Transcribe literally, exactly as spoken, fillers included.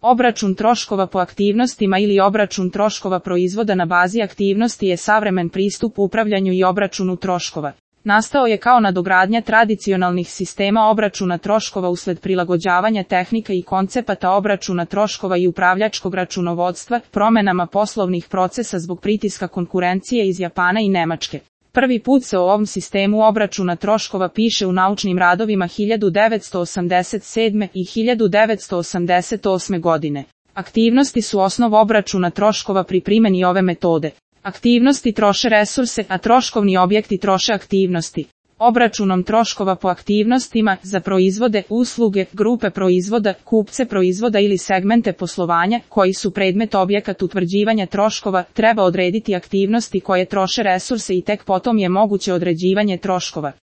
Obračun troškova po aktivnostima ili obračun troškova proizvoda na bazi aktivnosti je savremen pristup upravljanju i obračunu troškova. Nastao je kao nadogradnja tradicionalnih sistema obračuna troškova usled prilagođavanja tehnika i koncepata obračuna troškova i upravljačkog računovodstva, promenama poslovnih procesa zbog pritiska konkurencije iz Japana i Nemačke. Prvi put se o ovom sistemu obračuna troškova piše u naučnim radovima hiljadu devetsto osamdeset sedme. i hiljadu devetsto osamdeset osme. godine. Aktivnosti su osnov obračuna troškova pri primjeni ove metode. Aktivnosti troše resurse, a troškovni objekti troše aktivnosti. Obračunom troškova po aktivnostima za proizvode, usluge, grupe proizvoda, kupce proizvoda ili segmente poslovanja koji su predmet objekat utvrđivanja troškova, treba odrediti aktivnosti koje troše resurse i tek potom je moguće određivanje troškova.